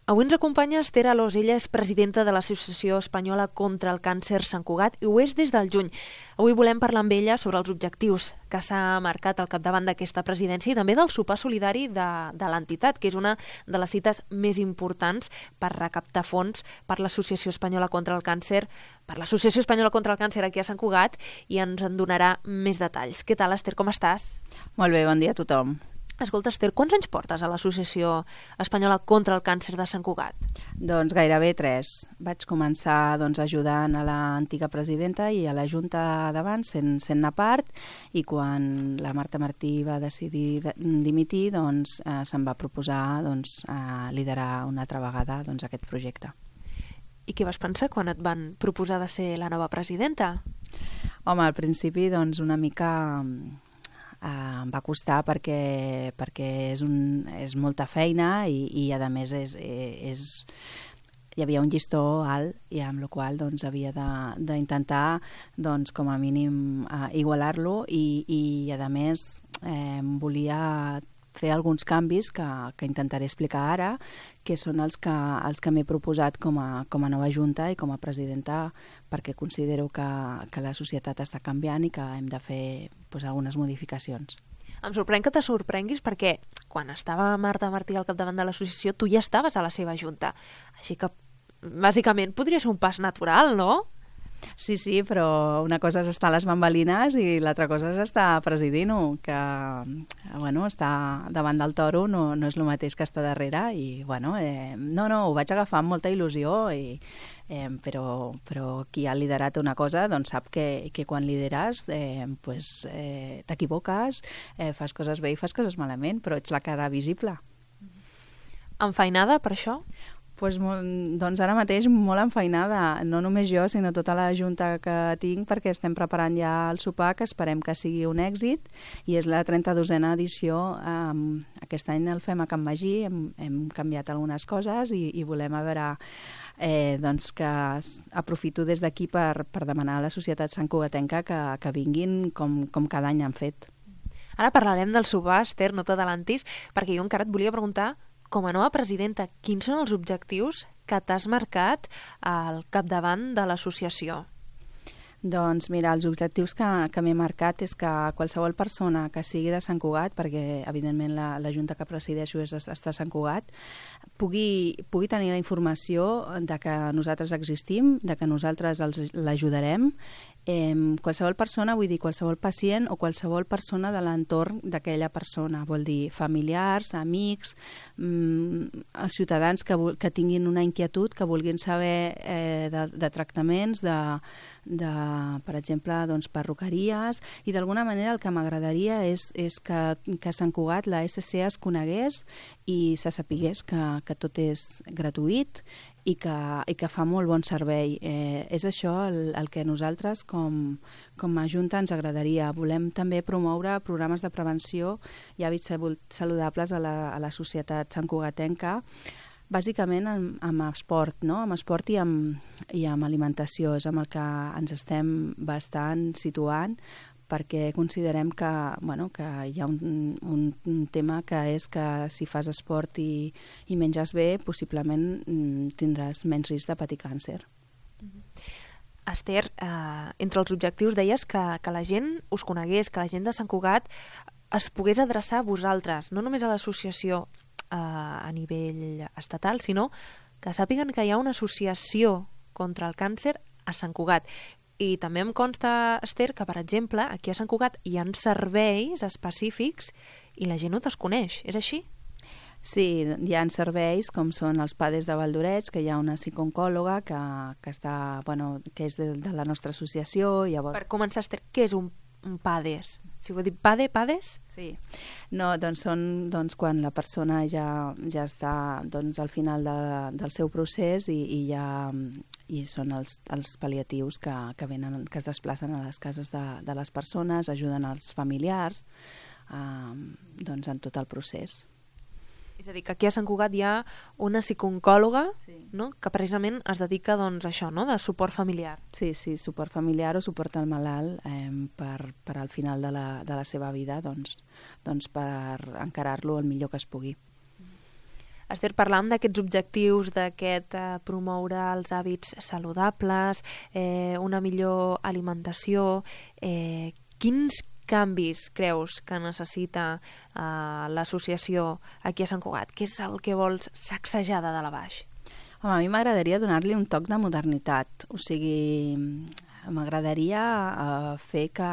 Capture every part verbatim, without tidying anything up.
Avui ens acompanya Esther Alòs. Ella és presidenta de l'Associació Espanyola contra el Càncer Sant Cugat i ho és des del juny. Avui volem parlar amb ella sobre els objectius que s'ha marcat al capdavant d'aquesta presidència i també del sopar solidari de, de l'entitat, que és una de les cites més importants per recaptar fons per l'Associació Espanyola contra el Càncer, per l'Associació Espanyola contra el Càncer aquí a Sant Cugat, i ens en donarà més detalls. Què tal, Esther, com estàs? Molt bé, bon dia a tothom. Escolta, Esther, quants anys portes a l'Associació Espanyola contra el Càncer de Sant Cugat? Doncs gairebé tres. Vaig començar doncs, ajudant a l'antiga presidenta i a la Junta d'abans, sent, sent-ne part, i quan la Marta Martí va decidir de, dimitir, doncs, eh, se'm va proposar doncs, eh, liderar una altra vegada doncs, aquest projecte. I què vas pensar quan et van proposar de ser la nova presidenta? Home, al principi doncs, una mica... Uh, em va costar perquè, perquè és, un, és molta feina i, i a més és, és, hi havia un llistó alt i amb la qual doncs, havia d'intentar doncs, com a mínim uh, igualar-lo i, i a més eh, volia fer alguns canvis que, que intentaré explicar ara, que són els que, els que m'he proposat com a, com a nova junta i com a presidenta, perquè considero que, que la societat està canviant i que hem de fer pues, algunes modificacions. Em sorprèn que te sorprenguis perquè quan estava Marta Martí al capdavant de l'associació tu ja estaves a la seva junta. Així que, bàsicament, podria ser un pas natural, no? Sí, sí, però una cosa és estar a les bambalines i l'altra cosa és estar presidint-ho, que bueno, estar davant del toro no, no és el mateix que estar darrere i bueno, eh, no, no, ho vaig agafar amb molta il·lusió i, eh, però, però qui ha liderat una cosa doncs sap que, que quan lideres eh, pues, eh, t'equivoques, eh, fas coses bé i fas coses malament, però ets la cara visible. Enfeinada per això? Pues, doncs ara mateix molt enfeinada, no només jo, sinó tota la junta que tinc, perquè estem preparant ja el sopar, que esperem que sigui un èxit, i és la trenta-dosena edició. Um, aquest any el fem a Can Magí, hem, hem canviat algunes coses i, i volem a veure... Eh, doncs que aprofito des d'aquí per, per demanar a la societat santcugatenca que, que vinguin com, com cada any han fet. Ara parlarem del sopar, Esther, no t'adalantis, perquè jo encara et volia preguntar, com a nova presidenta, quins són els objectius que t'has marcat al capdavant de l'associació? Doncs mira, els objectius que, que m'he marcat és que qualsevol persona que sigui de Sant Cugat, perquè evidentment la, la Junta que presideixo és està a Sant Cugat, pugui, pugui tenir la informació de que nosaltres existim, de que nosaltres l'ajudarem. Eh, qualsevol persona, vull dir qualsevol pacient o qualsevol persona de l'entorn d'aquella persona, vol dir familiars, amics, mm, ciutadans que, que tinguin una inquietud, que vulguin saber eh, de, de tractaments, de, de, per exemple, doncs, perruqueries, i d'alguna manera el que m'agradaria és, és que, que a Sant Cugat la S C es conegués i se sapigués que, que tot és gratuït i que, i que fa molt bon servei. Eh, és això el, el que nosaltres com, com a Junta ens agradaria. Volem també promoure programes de prevenció i hàbits saludables a la, a la societat santcugatenca, bàsicament amb, amb esport, no? amb esport i amb, i amb alimentació. És amb el que ens estem bastant situant, perquè considerem que, bueno, que hi ha un, un, un tema que és que si fas esport i, i menges bé, possiblement mm, tindràs menys risc de patir càncer. Mm-hmm. Esther, eh, entre els objectius deies que, que la gent us conegués, que la gent de Sant Cugat es pogués adreçar a vosaltres, no només a l'associació eh, a nivell estatal, sinó que sàpiguen que hi ha una associació contra el càncer a Sant Cugat. I també em consta, Esther, que, per exemple, aquí a Sant Cugat hi ha serveis específics i la gent no te'ls coneix. És així? Sí, hi ha serveis com són els PADES de Valdorets, que hi ha una psicooncòloga que, que, està, bueno, que és de, de la nostra associació. Llavors... Per començar, Esther, què és un, un PADES? Si ho he dit PADE, PADES? Sí. No, doncs són doncs, quan la persona ja, ja està doncs, al final de, del seu procés i, i ja... i són els, els pal·liatius que, que, venen, que es desplacen a les cases de, de les persones, ajuden als familiars eh, doncs en tot el procés. És a dir, que aquí a Sant Cugat hi ha una psicooncòloga, sí, no? Que precisament es dedica doncs, a això, no? De suport familiar. Sí, sí, suport familiar o suport al malalt eh, per, per al final de la, de la seva vida doncs, doncs per encarar-lo el millor que es pugui. Esther, parlàvem d'aquests objectius, d'aquest eh, promoure els hàbits saludables, eh, una millor alimentació. Eh, quins canvis creus que necessita eh, l'associació aquí a Sant Cugat? Què és el que vols sacsejar de dalt a baix? Home, a mi m'agradaria donar-li un toc de modernitat, o sigui, m'agradaria uh, fer que,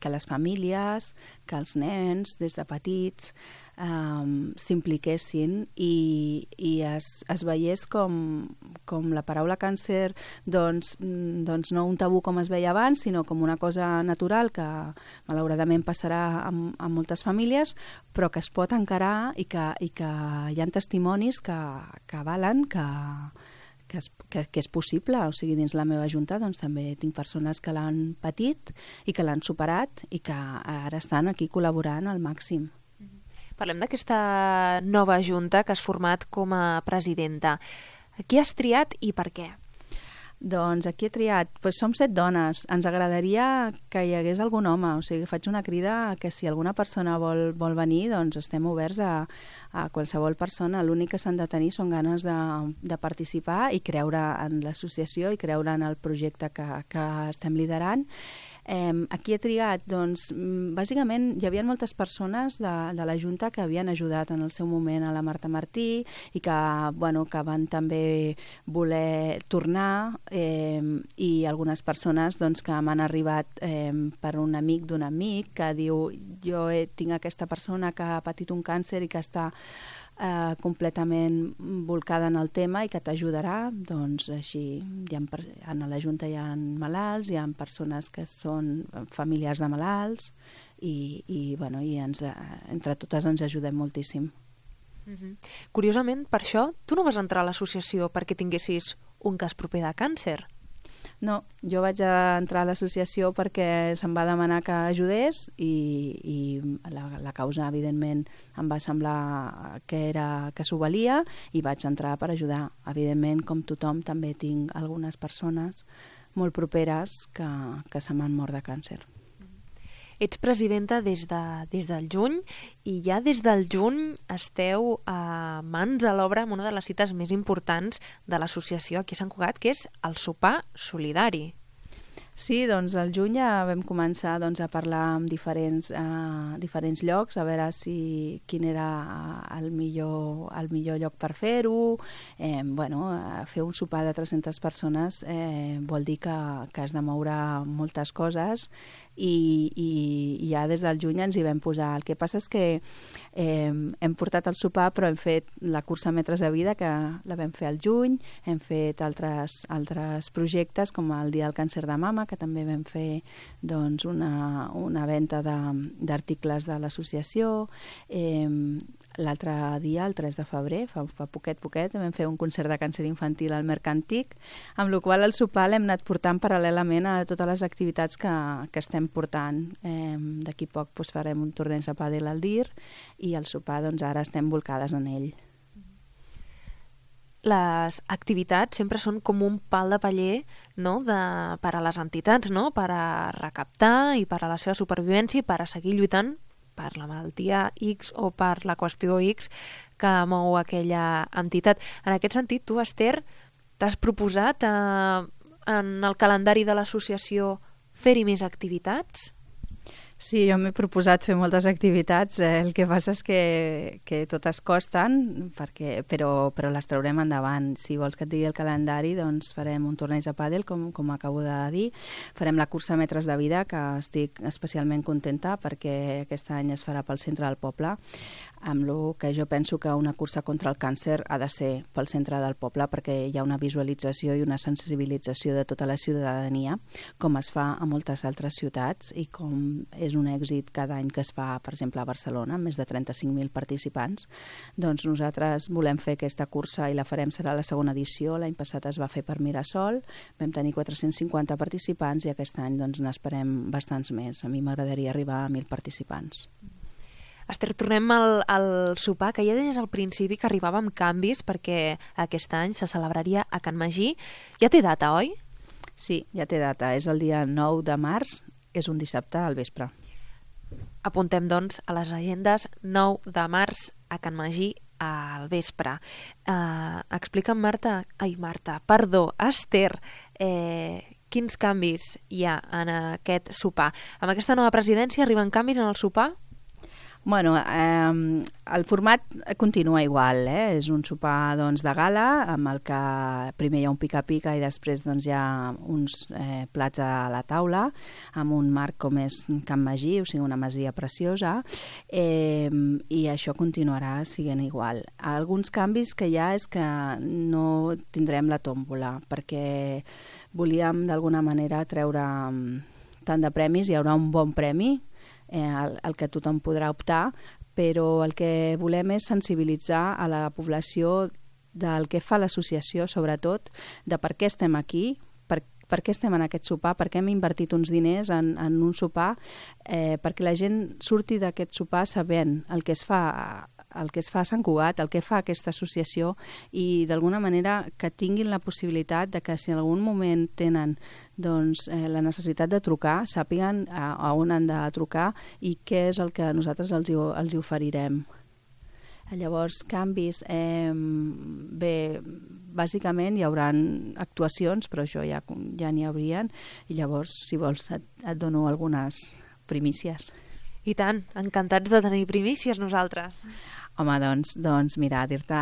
que les famílies, que els nens, des de petits, um, s'impliquessin i, i es, es veiés com, com la paraula càncer, doncs, doncs no un tabú com es veia abans, sinó com una cosa natural que malauradament passarà a, a moltes famílies, però que es pot encarar i que, i que hi ha testimonis que, que valen, que Que és, que, que és possible, o sigui, dins la meva junta doncs, també tinc persones que l'han patit i que l'han superat i que ara estan aquí col·laborant al màxim. Parlem d'aquesta nova junta que has format com a presidenta. Qui has triat i per què? Doncs aquí he triat, doncs som set dones, ens agradaria que hi hagués algun home, o sigui, faig una crida que si alguna persona vol, vol venir, doncs estem oberts a, a qualsevol persona. L'únic que s'han de tenir són ganes de, de participar i creure en l'associació i creure en el projecte que, que estem liderant. Eh, aquí he triat, doncs, bàsicament hi havia moltes persones de, de la Junta que havien ajudat en el seu moment a la Marta Martí i que, bueno, que van també voler tornar eh, i algunes persones doncs, que m'han arribat eh, per un amic d'un amic que diu jo he, tinc aquesta persona que ha patit un càncer i que està Eh, completament volcada en el tema i que t'ajudarà, doncs així hi ha, en la Junta hi ha malalts, hi ha persones que són familiars de malalts i, i, bueno, i ens, entre totes ens ajudem moltíssim. Mm-hmm. Curiosament, per això, tu no vas entrar a l'associació perquè tinguessis un cas proper de càncer. No, jo vaig entrar a l'associació perquè se'm va demanar que ajudés i, i la, la causa, evidentment, em va semblar que, era, que s'ho valia i vaig entrar per ajudar. Evidentment, com tothom, també tinc algunes persones molt properes que, que se m'han mort de càncer. Ets presidenta des, de, des del juny i ja des del juny esteu a mans a l'obra amb una de les cites més importants de l'associació aquí a Sant Cugat, que és el sopar solidari. Sí, doncs al juny ja vam començar doncs, a parlar amb diferents, eh, diferents llocs, a veure si quin era el millor, el millor lloc per fer-ho. Eh, bueno, fer un sopar de tres-centes persones eh, vol dir que, que has de moure moltes coses i, i, i ja des del juny ens hi vam posar. El que passa és que eh, hem portat el sopar però hem fet la cursa Metres de Vida, que la vam fer al juny, hem fet altres, altres projectes com el Dia del Càncer de Mama, que també vam fer doncs, una, una venda d'articles de, de l'associació. Eh, L'altre dia, el tres de febrer, fa, fa poquet, poquet, vam fer un concert de càncer infantil al Mercantic, amb la qual el sopar l'hem anat portant paral·lelament a totes les activitats que, que estem portant. Eh, D'aquí poc doncs, farem un torneig de pàdel al Dir i el sopar doncs, ara estem volcades en ell. Les activitats sempre són com un pal de paller, no? de, per a les entitats, no? Per a recaptar i per a la seva supervivència i per a seguir lluitant per la malaltia X o per la qüestió X que mou aquella entitat. En aquest sentit, tu, Esther, t'has proposat eh, en el calendari de l'associació fer-hi més activitats? Sí, jo m'he proposat fer moltes activitats, eh, el que passa és que, que totes costen, perquè, però, però les traurem endavant. Si vols que et digui el calendari, doncs farem un torneig de pàdel, com, com acabo de dir, farem la cursa Metres de Vida, que estic especialment contenta perquè aquest any es farà pel centre del poble, amb el que jo penso que una cursa contra el càncer ha de ser pel centre del poble perquè hi ha una visualització i una sensibilització de tota la ciutadania, com es fa a moltes altres ciutats i com és un èxit cada any que es fa, per exemple, a Barcelona, amb més de trenta-cinc mil participants. Doncs nosaltres volem fer aquesta cursa i la farem, serà la segona edició. L'any passat es va fer per Mirasol, vam tenir quatre-cents cinquanta participants i aquest any doncs, n'esperem bastants més. A mi m'agradaria arribar a mil participants. Esther, tornem al, al sopar, que ja deies al principi que arribava amb canvis perquè aquest any se celebraria a Can Magí. Ja té data, oi? Sí, ja té data. És el dia nou de març, és un dissabte al vespre. Apuntem, doncs, a les agendes nou de març a Can Magí al vespre. Uh, explica'm, Marta, ai, Marta, perdó, Esther, eh, quins canvis hi ha en aquest sopar? Amb aquesta nova presidència arriben canvis en el sopar? Bueno, eh, el format continua igual, eh? És un sopar doncs, de gala, amb el que primer hi ha un pica-pica i després doncs, hi ha uns eh, plats a la taula, amb un marc com és Can Magí, o sigui, una masia preciosa, eh, i això continuarà sent igual. Alguns canvis que hi ha és que no tindrem la tòmbola, perquè volíem d'alguna manera treure tant de premis, hi haurà un bon premi, Eh, el, el que tothom podrà optar, però el que volem és sensibilitzar a la població del que fa l'associació, sobretot, de per què estem aquí, per, per què estem en aquest sopar, per què hem invertit uns diners en, en un sopar, eh, perquè la gent surti d'aquest sopar sabent el que es fa el que es fa a Sant Cugat, el que fa aquesta associació i d'alguna manera que tinguin la possibilitat de que si en algun moment tenen doncs, eh, la necessitat de trucar, sàpiguen a, a on han de trucar i què és el que nosaltres els hi, els hi oferirem. Llavors, canvis, eh, bé, bàsicament hi haurà actuacions, però això ja, ja n'hi haurien, i llavors, si vols, et, et dono algunes primícies. I tant, encantats de tenir primícies nosaltres. Home, doncs, doncs mira, dir-te,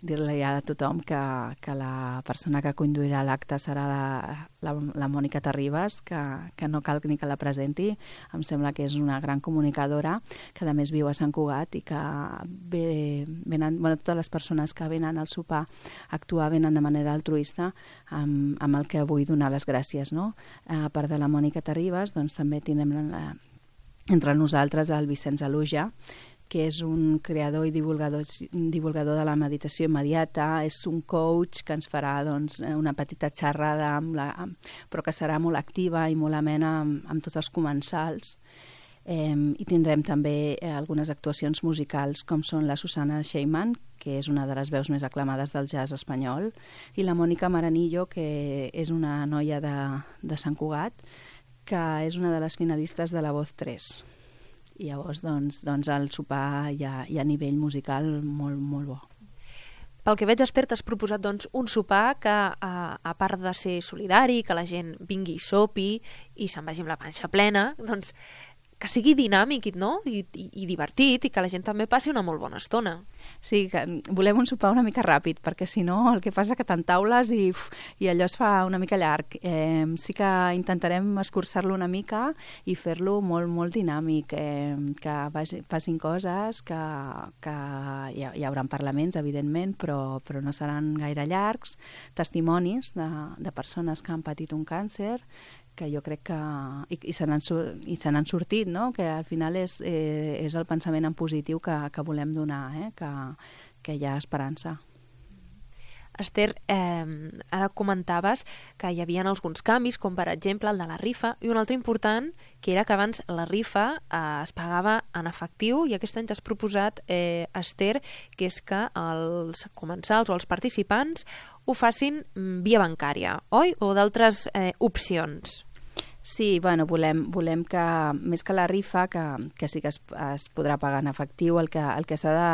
dir-li a tothom que, que la persona que conduirà l'acte serà la, la, la Mònica Terribas, que, que no cal ni que la presenti. Em sembla que és una gran comunicadora, que a més viu a Sant Cugat i que ve, venen, bueno, totes les persones que venen al sopar a actuar venen de manera altruista, amb, amb el que vull donar les gràcies. No? A part de la Mònica Terribas, doncs també tindrem la, entre nosaltres el Vicenç Aluja, que és un creador i divulgador, divulgador de la meditació immediata, és un coach que ens farà doncs, una petita xerrada, amb la, amb, però que serà molt activa i molt amena amb, amb tots els comensals. Eh, I tindrem també eh, algunes actuacions musicals, com són la Susana Sheyman, que és una de les veus més aclamades del jazz espanyol, i la Mònica Maranillo, que és una noia de, de Sant Cugat, que és una de les finalistes de La Voz tres. I llavors, doncs, doncs el sopar hi ha, hi ha a nivell musical molt, molt bo. Pel que veig, Esther, t'has proposat doncs, un sopar que, a, a part de ser solidari, que la gent vingui i sopi i se'n vagi amb la panxa plena, doncs que sigui dinàmic, no? I, i, i divertit, i que la gent també passi una molt bona estona. Sí, que volem un sopar una mica ràpid, perquè si no el que passa que t'entaules i, uf, i allò es fa una mica llarg. Eh, sí que intentarem escurçar-lo una mica i fer-lo molt, molt dinàmic, eh, que vagi, passin coses, que, que hi, ha, hi haurà parlaments, evidentment, però, però no seran gaire llargs, testimonis de, de persones que han patit un càncer, que jo crec que... i, i se n'han i se n'han sortit, no? Que al final és, eh, és el pensament en positiu que, que volem donar, eh? que, que hi ha esperança. Esther, eh, ara comentaves que hi havia alguns canvis, com per exemple el de la rifa, i un altre important, que era que abans la rifa eh, es pagava en efectiu, i aquest any t'has proposat, eh, Esther, que és que els comensals o els participants ho facin via bancària, oi? O d'altres eh, opcions? Sí, bueno, volem, volem que, més que la rifa, que, que sí que es, es podrà pagar en efectiu, el que, el que, s'ha de,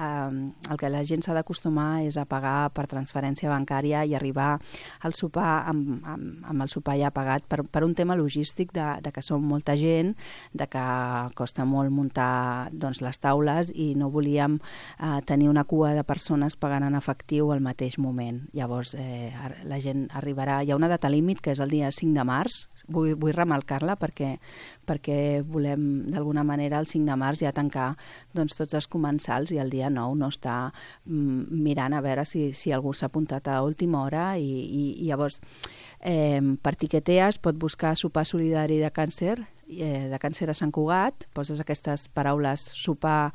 eh, el que la gent s'ha d'acostumar és a pagar per transferència bancària i arribar al sopar amb, amb, amb el sopar ja pagat per, per un tema logístic de, de que som molta gent, de que costa molt muntar doncs, les taules i no volíem eh, tenir una cua de persones pagant en efectiu al mateix moment. Llavors, eh, la gent arribarà... Hi ha una data límit, que és el dia cinc de març, Vull, vull remarcar-la perquè, perquè volem d'alguna manera el cinc de març ja tancar doncs, tots els comensals i el dia nou no estar mm, mirant a veure si, si algú s'ha apuntat a última hora i, i, i llavors eh, per Tiquetea es pot buscar sopar solidari de càncer eh, de càncer a Sant Cugat, poses aquestes paraules sopar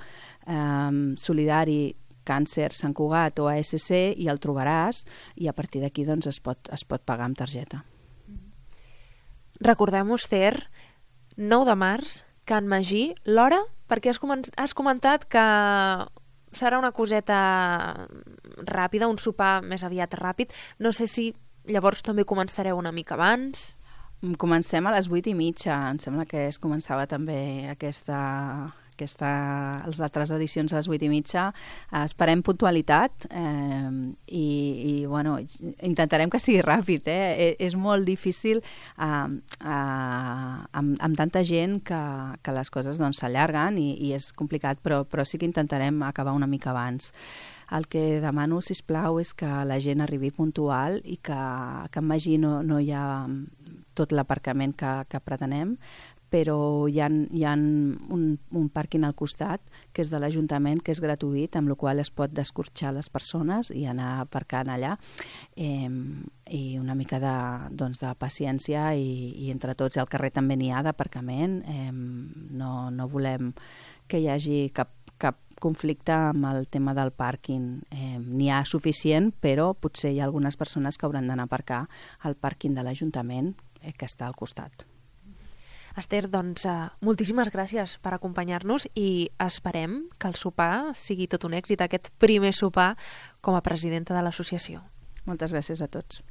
eh, solidari càncer Sant Cugat o A S C i el trobaràs i a partir d'aquí doncs, es, pot, es pot pagar amb targeta. Recordem-ho, Esther, nou de març, Can Magí, l'hora, perquè has, comen has comentat que serà una coseta ràpida, un sopar més aviat ràpid. No sé si llavors també començareu una mica abans. Comencem a les vuit i mitja, em sembla que es començava també aquesta, aquesta, les altres edicions a les vuit i mitja. Eh, esperem puntualitat eh, i, i bueno, intentarem que sigui ràpid. Eh? És molt difícil eh, eh, amb, amb tanta gent que, que les coses doncs, s'allarguen i, i és complicat, però, però sí que intentarem acabar una mica abans. El que demano, sisplau, és que la gent arribi puntual i que, que en Magí no, no hi ha tot l'aparcament que, que pretenem, però hi ha, hi ha un, un pàrquing al costat, que és de l'Ajuntament, que és gratuït, amb la qual es pot descorxar les persones i anar aparcant allà. Eh, I una mica de, doncs, de paciència i, i entre tots al carrer també n'hi ha d'aparcament. Eh, no, no volem que hi hagi cap, cap conflicte amb el tema del pàrquing. Eh, n'hi ha suficient, però potser hi ha algunes persones que hauran d'anar a aparcar al pàrquing de l'Ajuntament, eh, que està al costat. Esther, doncs, uh, moltíssimes gràcies per acompanyar-nos i esperem que el sopar sigui tot un èxit, aquest primer sopar com a presidenta de l'associació. Moltes gràcies a tots.